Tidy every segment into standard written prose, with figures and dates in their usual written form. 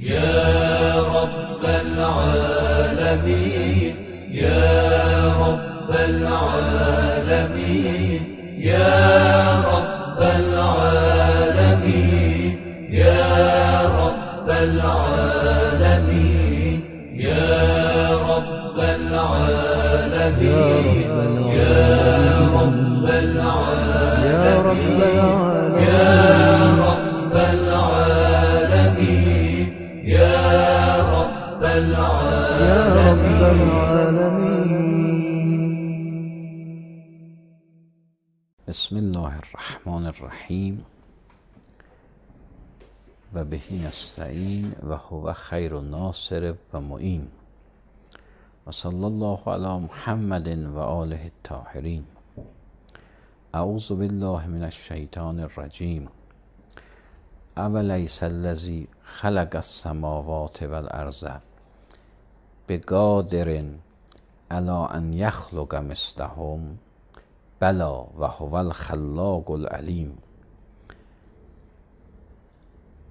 يا رب العالمين يا رب العالمين يا رب العالمين يا رب العالمين يا رب العالمين يا رب العالمين يا رب العالمين يا رب العالمين. بسم الله الرحمن الرحیم و به نستعین و هو خیر الناصر و معین و صلی الله علی محمد و آله الطاهرین. اعوذ بالله من الشیطان الرجیم. اولیس الذی خلق السماوات والارض بقادر علی ان یخلق مثلهم بلا و هو الخلاق العلیم.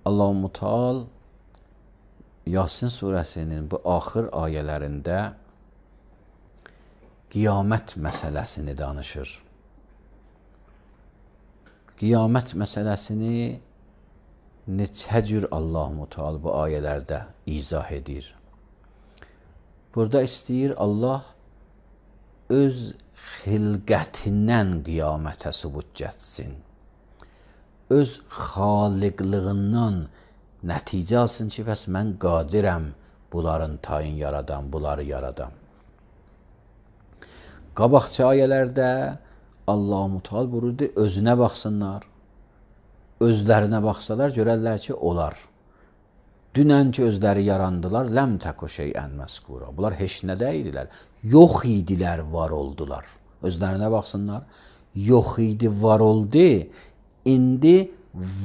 Allah Muteal Yasin surəsinin bu axır ayələrində qiyamət məsələsini danışır. Qiyamət məsələsini neçə cür Allah Muteal bu ayələrdə izah edir. Burada istəyir Allah öz xilqətindən qiyamətə sübut getsin. Öz xaliqlığından nəticə alsın ki, bəs mən qadirəm bunların tayin yaradam, bunları yaradam. Qabaqçı ayələrdə Allah Muteal buyurdu, özünə baxsınlar, özlərinə baxsalar görərlər ki, olar. Dünən ki, özləri yarandılar, ləm təku şeyən məskura. Bunlar heç nə deyildilər, yox idilər, var oldular. Özlərinə baxsınlar, yox idi, var oldu. İndi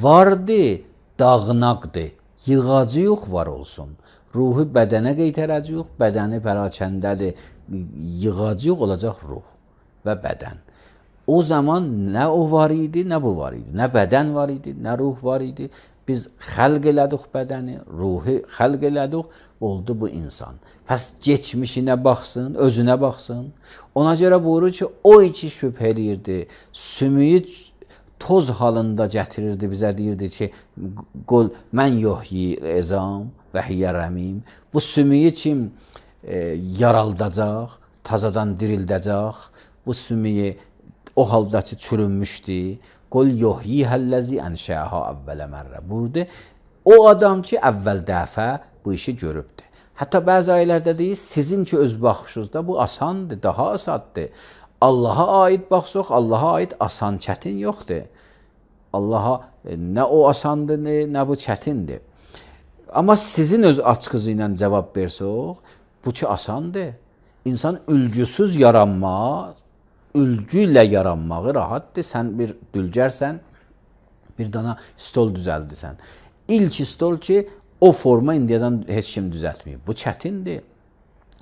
vardı, dağınaqdır, yığacı yox, var olsun. Ruhu bədənə qeytərəcək yox, bədəni pərakəndədir, yığacı yox olacaq ruh və bədən. O zaman nə o var idi, nə bu var idi. Nə bədən var idi, nə ruh var idi. Biz xəlq elədik bədəni, ruhu xəlq elədik, oldu bu insan. Pəs geçmişinə baxsın, özünə baxsın. Ona görə buyurur ki, o iki şübhə edirdi, sümüyü toz halında gətirirdi, bizə deyirdi ki, qul mən yuhyi ezam və hiyyə rəmim. Bu sümüyü kim yaraldacaq, tazadan dirildəcək, bu sümüyü o halda ki, çürünmüşdü. Qul yuhyi həlləzi ənşəha əvvələ mərrə. Burada o adam ki, əvvəl dəfə bu işi görübdür. Hətta bəzi ayələrdə deyir, sizin ki, öz baxışınızda bu asandır, daha asaddır. Allaha aid baxsaq, Allaha aid asan, çətin yoxdur. Allaha nə o asandır, nə bu çətindir. Amma sizin öz açqızı ilə cavab versək, bu ki, asandır. İnsan ülgüsüz yaranmaz, ülgü ilə yaranmağı rahatdır. Sən bir dülgərsən, bir dana stol düzəldirsən. İlk stol ki, o forma indiyəcən heç kim düzəltməyib. Bu çətindir.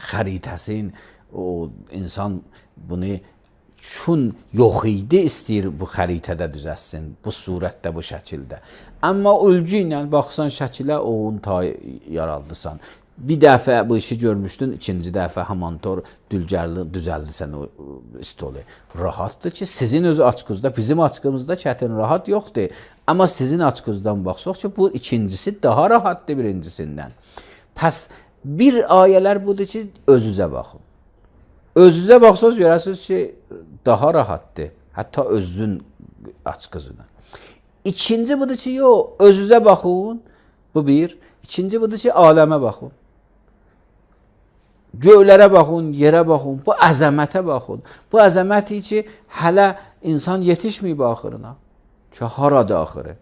Xəritəsin, o insan bunu çün yox idi, istəyir bu xəritədə düzəlsin, bu surətdə, bu şəkildə. Amma ölgü ilə baxsan şəkilə, onun yaraldısan. Bir dəfə bu işi görmüşdün, ikinci dəfə hamantor dülgərli düzəldirsən o stolu. Rahatdır ki, sizin öz açqızda, bizim açqımızda çətin rahat yoxdur. Amma sizin açqızdan baxsaq ki, bu ikincisi daha rahatdır birincisindən. Pəs bir ayələr budur ki, özünüzə baxın. Özünüzə baxsaq görəsiniz ki, daha rahatdır. Hətta özün açqızına. İkinci budur ki, yox, özünüzə baxın. Bu bir. İkinci budur ki, aləmə baxın. Göylərə baxın, yerə baxın, bu əzəmətə baxın. Bu əzəməti ki, hələ insan yetişməyib axırına. Ki, haradır axırı?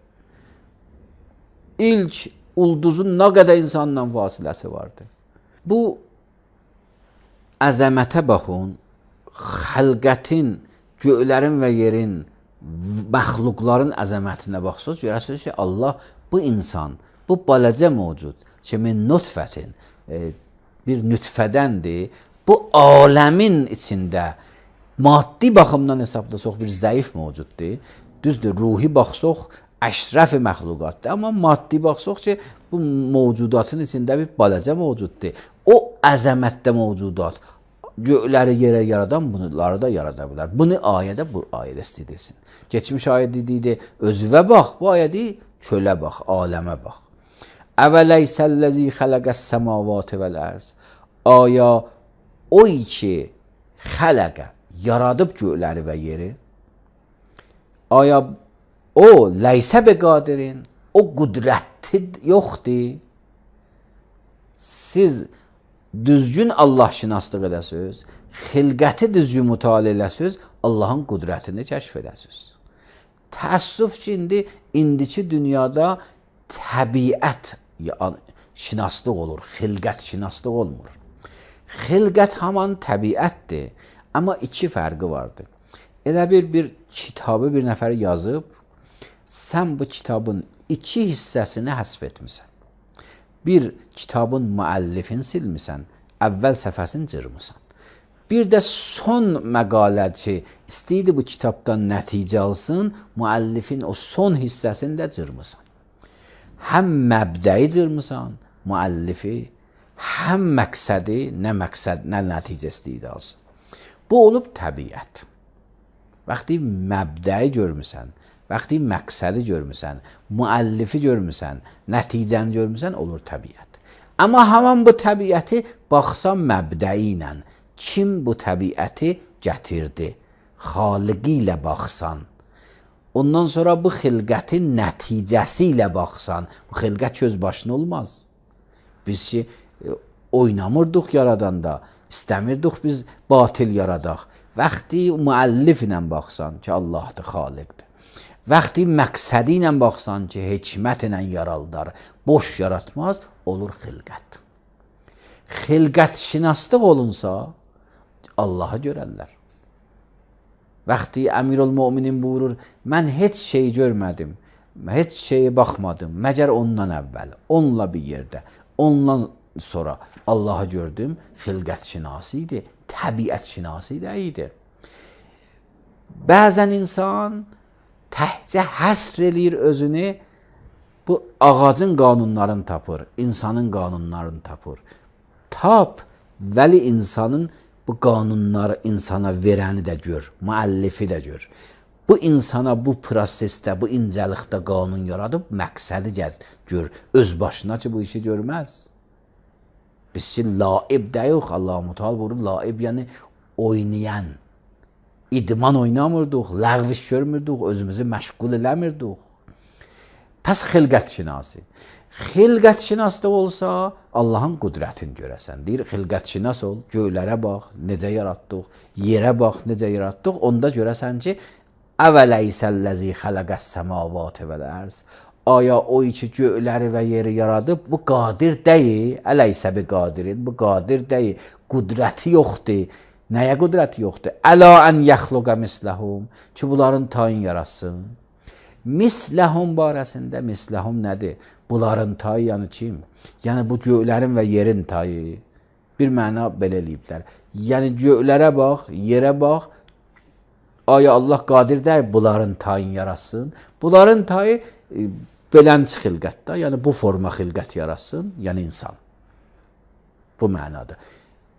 İlk ulduzun nə qədər insanla vasiləsi vardır. Bu əzəmətə baxın, xəlqətin, göylərin və yerin, məxluqların əzəmətinə baxsınız, görəsiniz ki, Allah bu insan, bu balacə mövcud ki, min nutfətin, bir nütfədəndir, bu aləmin içində maddi baxımdan hesablasaq bir zəif mövcuddur. Düzdür, ruhi baxsaq əşrəf məxluqatdır. Amma maddi baxsaq ki, bu mövcudatın içində bir balaca mövcuddur. O əzəmətdə mövcudat. Göyləri yerə yaradan bunları da yarada bilər. Bunu ayədə bu ayədə istəyirsin. Keçmiş ayə dediydi, özünə bax, bu ayə deyir, çölə bax, aləmə bax. Əvələysəlləzi xələqəs səmavati vəl-ərz. Aya o ki xələqə yaradıb göyləri və yeri. Aya o ləysə beqadirin, o qüdrəti yoxdur. Siz düzgün Allah şinaslıq edəsiniz, xilqəti düzgün mütaliə edəsiniz, Allahın qüdrətini kəşf edəsiniz. Təəssüf ki, indiki dünyada təbiət şinaslıq olur, xilqət şinaslıq olmur. Xilqət haman təbiətdir, amma iki fərqi vardır. Elə bir kitabı bir nəfər yazıb, sən bu kitabın iki hissəsini həsf etmisən. Bir kitabın müəllifini silmisən, əvvəl səhifəsini cırmısan. Bir də son məqalə ki, istəyirdi bu kitabdan nəticə alsın, müəllifin o son hissəsini də cırmısan. Həm məbdəyi cırmısan, müəllifi, həm məqsədi, nə nəticə istəyirdi alsın. Bu olub təbiət. Vaxtı məbdəyi görmüsən, vaxtı məqsədi görmüsən, müəllifi görmüsən, nəticəni görmüsən, olur təbiət. Amma haman bu təbiəti baxsan məbdəyi ilə, kim bu təbiəti gətirdi? Xaliqi ilə baxsan, ondan sonra bu xilqətin nəticəsi ilə baxsan, bu xilqət göz başına olmaz. Biz ki, oynamırdıq yaradanda, istəmirdik biz batil yaradaq. Vaxtı müəllif ilə baxsan ki, Allahdır, xaliqdir. Vaxtı məqsədi ilə baxsan ki, hikmət ilə yaraldar, boş yaratmaz, olur xilqət. Xilqət şinaslıq olunsa, Allahı görərlər. Vaxtı Əmirül-Möminin buyurur, mən heç şeyi görmədim, heç şeyi baxmadım, məgər ondan əvvəl, onunla bir yerdə, ondan sonra Allahı gördüm, xilqət şinası idi, təbiət şinası idi. Bəzən insan təhcə həsr eləyir özünü, bu ağacın qanunlarını tapır, insanın qanunlarını tapır. Tap, vəli insanın bu qanunları insana verəni də gör, müəllifi də gör. Bu insana bu prosesdə, bu incəlikdə qanun yaradıb, məqsədi gör, öz başına ki, bu işi görməz. Biz ki, laib də yox, Allah-u Teala buyurur, laib yəni oynayan. İdman oynamırdıq, ləğviş görmürdük, özümüzü məşğul eləmirdik. Pəs xilqət şinası. Xilqət şinası da olsa, Allahın qüdrətini görəsən. Deyir, xilqət şinas ol, göylərə bax, necə yaratdıq, yerə bax, necə yaratdıq. Onda görəsən ki, əvələysəlləzi xələqəs səmavati vəl-ərz. Aya o ki, göyləri və yeri yaradıb, bu qadir deyil, ələysə bi qadirin, bu qadir deyil, qüdrəti yoxdur. Nəyə qüdrəti yoxdur? Əla ən yəxluqə misləhum, ki, bunların tayin yaratsın. Misləhum barəsində, misləhum nədir? Bunların tayı yəni kim? Yəni bu göylərin və yerin tayı. Bir məna belə eləyiblər. Yəni göylərə bax, yerə bax, aya Allah qadir deyil, bunların tayini yaratsın. Bunların tayı belənçi xilqətdə, yəni bu forma xilqət yaratsın, yəni insan. Bu mənadır.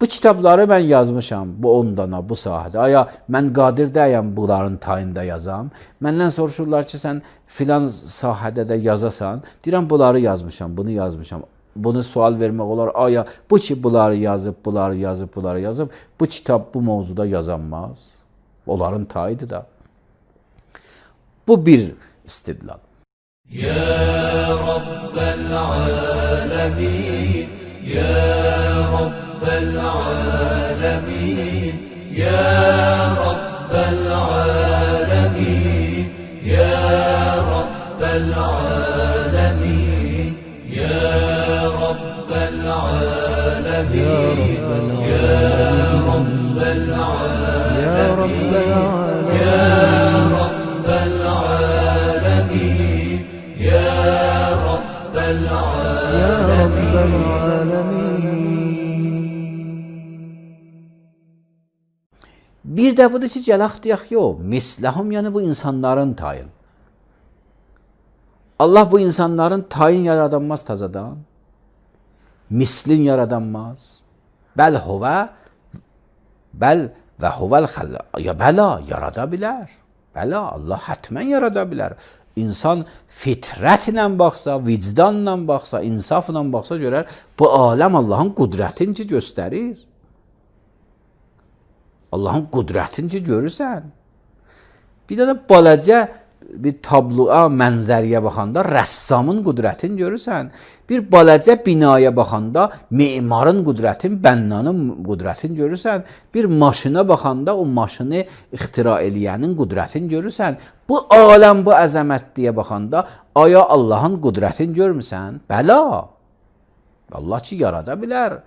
Bu kitabları mən yazmışam, bu 10 dana, bu sahədə. Aya, mən qadir deyəm bunların tayında yazam. Məndən soruşurlar ki, sən filan sahədə də yazasan. Deyirəm, bunları yazmışam, bunu yazmışam. Bunu sual vermək olar. Aya, bu ki, bunları yazıb, bunları yazıb, bunları yazıb. Bu kitab bu mövzuda yazanmaz. Onların tayıdır da. Bu bir istidlal. Ya Rabbel alemin, Ya Rabbel alemin, Ya Rabbel alemin, Ya Rabbel alemin, Ya Rabbel alemin, Ya Rabbel alemin, Ya Rabbel alemin, Ya Rabbel alemin, Ya Rabbel alemin. Bir də budur ki, gələk deyək, yox, misləhum, yəni bu insanların tayın. Allah bu insanların tayin yaradanmaz tazadan. Mislin yaradanmaz. Bəl və huvel xallaq. Ya bəla, yarada bilər. Bəla, Allah hətmən yarada bilər. İnsan fitrətlə baxsa, vicdanla baxsa, insafla baxsa görər, bu aləm Allahın qudrətini göstərir. Allahın qudrətini görürsən. Bir dənə balaca bir tabloya, mənzəriyə baxanda rəssamın qudrətini görürsən. Bir balaca binaya baxanda memarın qudrətini, bənnanın qudrətini görürsən. Bir maşına baxanda o maşını ixtira eləyənin qudrətini görürsən. Bu aləm, bu əzəmətliyə baxanda aya Allahın qudrətini görmüsən? Bəla. Allah ki yarada bilər.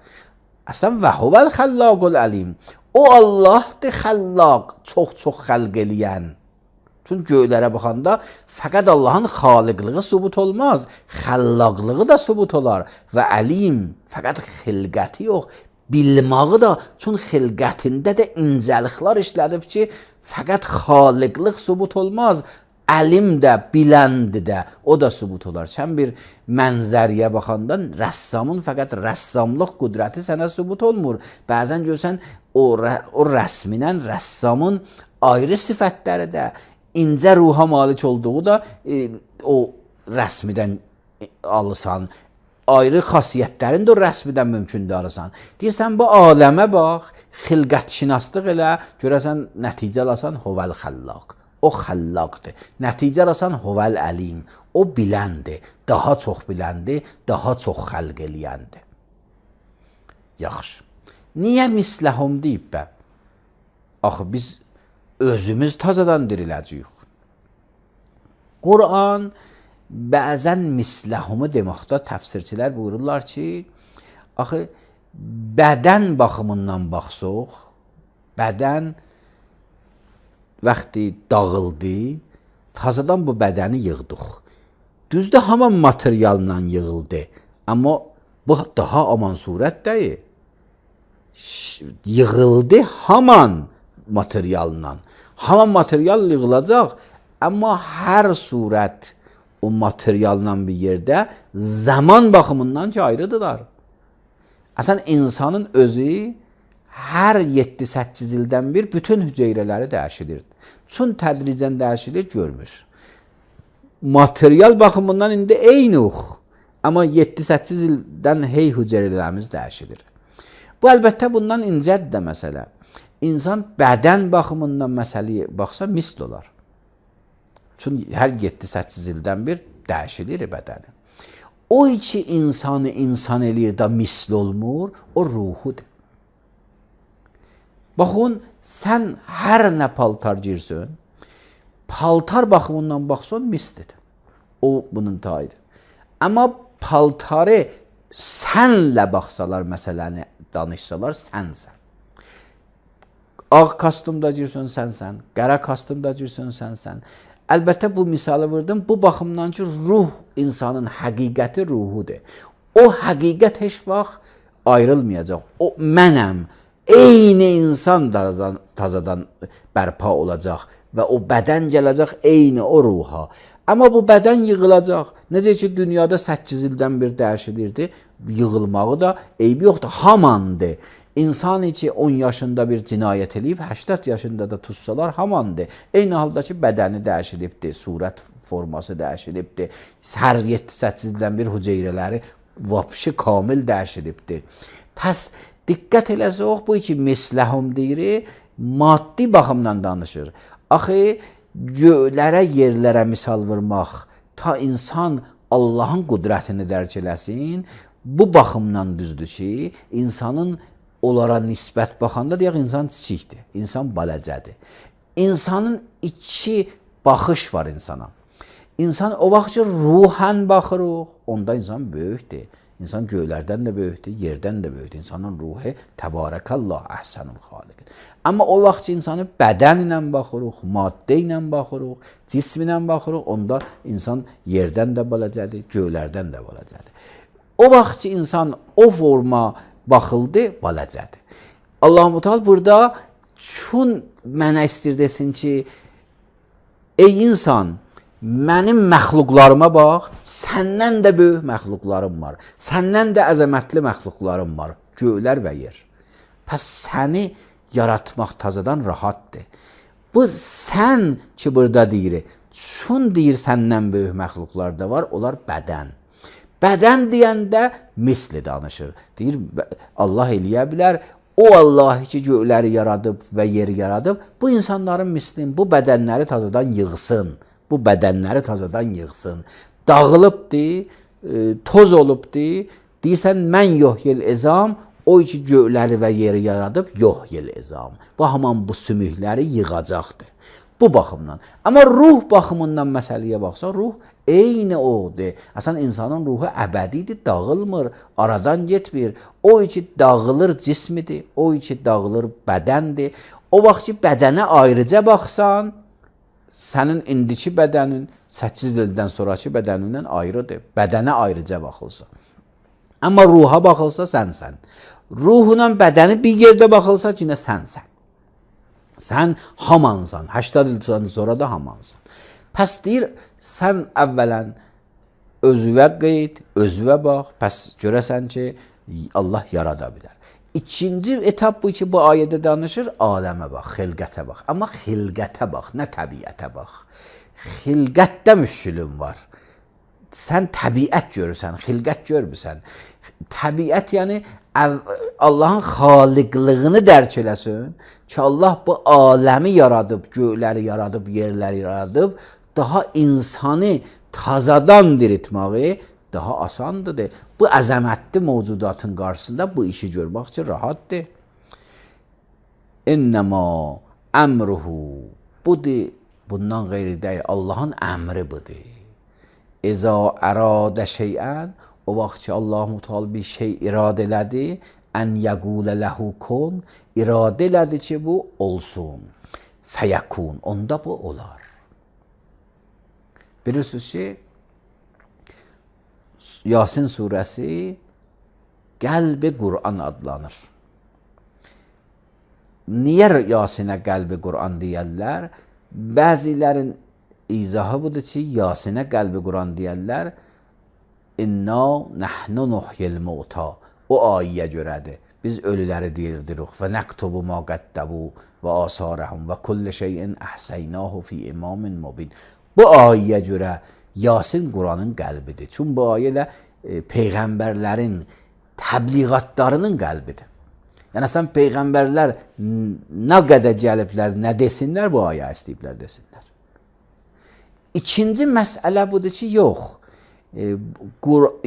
Əslən və huvel xallaqul əlim. O Allahdır xallaq, çox-çox xəlq eləyən. Çünki göylərə baxanda fəqət Allahın xaliqlığı sübut olmaz, xəllaqlığı da sübut olar və əlim fəqət xilqəti yox, bilməyi da, çünki xilqətində də incəliklər işlədib ki, fəqət xaliqlıq sübut olmaz, əlim də, biləndi də, o da sübut olar. Sən bir mənzəriyə baxanda rəssamın fəqət rəssamlıq qudrəti sənə sübut olmur. Bəzən görsən o rəsminən rəssamın ayrı sifətləri də, incə ruha malik olduğu da o rəsmidən alırsan. Ayrı xasiyyətlərin də o rəsmidən mümkündür alırsan. Deyirsən, bu aləmə bax, xilqətşinaslıq elə, görəsən, nəticə alasan, huvel xallaq. O xallaqdır. Nəticə alasan, huvel əlim. O biləndir, daha çox biləndir, daha çox xəlq eləyəndir. Yaxşı. Niyə misləhum deyib bə? Axı, biz özümüz tazadan diriləcəyik. Quran bəzən misləhumu deməkdə təfsirçilər buyururlar ki, axı bədən baxımından baxsaq, bədən vaxtı dağıldı, tazadan bu bədəni yığdıq. Düzdür, haman materialla yığıldı, amma bu daha aman surət deyil. Yığıldı haman materialından. Haman material yığılacaq, amma hər surət o materialla bir yerdə zaman baxımından ki ayrıdırlar. Əslən, insanın özü hər 7-8 ildən bir bütün hüceyrələri dəyişilir. Çün tədricən dəyişilir, görmür. Material baxımından indi eynuq, amma 7-8 ildən hey hüceyrələrimiz dəyişilir. Bu, əlbəttə, bundan incədir də məsələ. İnsan bədən baxımından məsələyə baxsa misl olar. Çünki hər 7-8 ildən bir dəyişilir bədəni. O ki insanı insan eləyir da misl olmur, o ruhudur. Baxın, sən hər nə paltar girsən, paltar baxımından baxsan mislidir. O bunun tayıdır. Amma paltarı sənlə baxsalar, məsələni danışsalar, sənsən. Ağ kostyumda girsən, sənsən. Qara kostyumda girsən, sənsən. Əlbəttə, bu misalı verdim. Bu baxımdan ki, ruh insanın həqiqəti ruhudur. O həqiqət heç vaxt ayrılmayacaq. O mənəm. Eyni insan tazadan bərpa olacaq və o bədən gələcək eyni o ruha. Amma bu bədən yığılacaq. Necə ki, dünyada 8 ildən bir dəyişilirdi, yığılmağı da eybi yoxdur, hamandır. İnsan ki 10 yaşında bir cinayət eləyib, 80 yaşında da tutsalar hamandır. Eyni halda ki, bədəni dəyişilibdir, surət forması dəyişilibdir. Hər 7-8 ildən bir hüceyrələri vapşı kamil dəyişilibdir. Pəs, diqqət eləsək, bu ki, misləhum deyir, maddi baxımdan danışır. Axı, göylərə, yerlərə misal vurmaq, ta insan Allahın qudrətini dərk eləsin, bu baxımdan düzdür ki, insanın onlara nisbət baxanda deyək, insan kiçikdir, insan baləcədir. İnsanın iki baxış var insana. İnsan o vaxt ki, ruhən baxırıq, onda insan böyükdür. İnsan göylərdən də böyükdür, yerdən də böyükdür. İnsanın ruhu təbarəkallah əhsənul xaliq. Amma o vaxt ki, insanı bədən ilə baxırıq, maddə ilə baxırıq, cism ilə baxırıq, onda insan yerdən də baləcədir, göylərdən də baləcədir. O vaxt ki, insan o forma baxıldı, baləcədir. Allah-u Teala burada çün mənə istir desin ki, ey insan, Mənim məxluqlarıma bax, səndən də böyük məxluqlarım var. Səndən də əzəmətli məxluqlarım var. Göylər və yer. Pəs səni yaratmaq tazadan rahatdır. Bu sən ki burada deyir, çün deyir səndən böyük məxluqlar da var, onlar bədən. Bədən deyəndə misli danışır. Deyir, Allah eləyə bilər, o Allah ki göyləri yaradıb və yeri yaradıb, bu insanların mislin, bu bədənləri tazadan yığsın. Bu bədənləri tazadan yığsın. Dağılıbdır, toz olubdur. Deyirsən, mən yohyel ezam, o ki göyləri və yeri yaradıb, yohyel ezam. Bu haman bu sümükləri yığacaqdır. Bu baxımdan. Amma ruh baxımından məsələyə baxsa, ruh eyni odur. Əslən, insanın ruhu əbədidir, dağılmır, aradan getmir. O ki dağılır cismidir, o ki dağılır bədəndir. O vaxt ki bədənə ayrıca baxsan, sənin indiki bədənin 8 ildən sonraki bədənindən ayrıdır. Bədənə ayrıca baxılsa. Amma ruha baxılsa sənsən. Ruhla bədəni bir yerdə baxılsa yenə sənsən. Sən hamansan. 80 ildən sonra da hamansan. Pəs deyir, sən əvvələn özüvə qeyd, özüvə bax, pəs görəsən ki, Allah yarada bilər. İkinci etap bu ki, bu ayədə danışır, aləmə bax, xilqətə bax. Amma xilqətə bax, nə təbiətə bax. Xilqətdə müşkülün var. Sən təbiət görürsən, xilqət görmürsən. Təbiət yəni Allahın xaliqlığını dərk eləsin ki, Allah bu aləmi yaradıb, göyləri yaradıb, yerləri yaradıb, daha insanı tazadan diriltməyi daha asandır. Bu əzəmətli mövcudatın qarşısında bu işi görmək üçün rahatdır. İnnəmə əmruhu, budur, bundan qeyri deyil, Allahın əmri budur. İza əradə şeyən, o vaxt ki Allah-u Teala bir şey iradə elədi, ən yəqulə ləhu kun, iradə elədi ki bu olsun, fəyəkun, onda bu olar. Bilirsiniz ki, Yasin surəsi Qəlb-i Qur'an adlanır. Niyə Yasinə Qəlb-i Qur'an deyərlər? Bəzilərin izahı budur ki, Yasinə Qəlb-i Qur'an deyərlər, İnna nəhnu nuhyil mauta. O ayəyə görədir. Biz ölüləri diridirik. Və nəktubu ma qəddəbu və asarəhum və kulli şeyin əhsəynahu fi imamin mubin. Bu ayəyə görə Yasin Quranın qəlbidir. Çünki bu ayə peyğəmbərlərin təbliğatlarının qəlbidir. Yəni sən peyğəmbərlər nə qədər gəliblər, nə desinlər, bu ayə istəyiblər desinlər. İkinci məsələ budur ki, yox.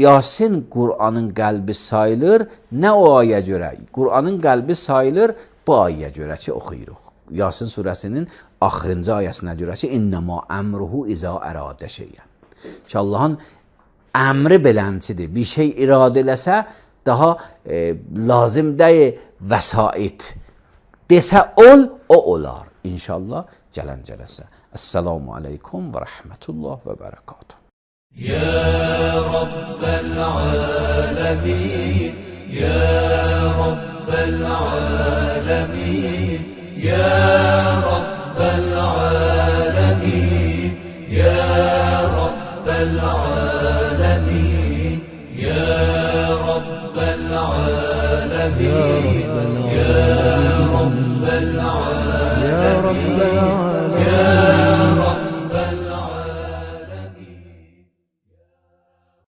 Yasin Quranın qəlbi sayılır, nə o ayə görə? Quranın qəlbi sayılır bu ayə görə ki, oxuyuruq. Yasin surəsinin axırıncı ayəsinə görə ki, İnnəmə əmruhu izə əradə şeyən. Ki, Allahın əmri belənçidir. Bir şey iradə eləsə, daha lazım deyil vəsait. Desə ol, o olar. İnşallah gələn cələsə. Əssalamu aleykum və rəhmətullah və bərəkatuhu. يا رب العالمين يا رب العالمين يا رب العالمين يا رب العالمين يا رب العالمين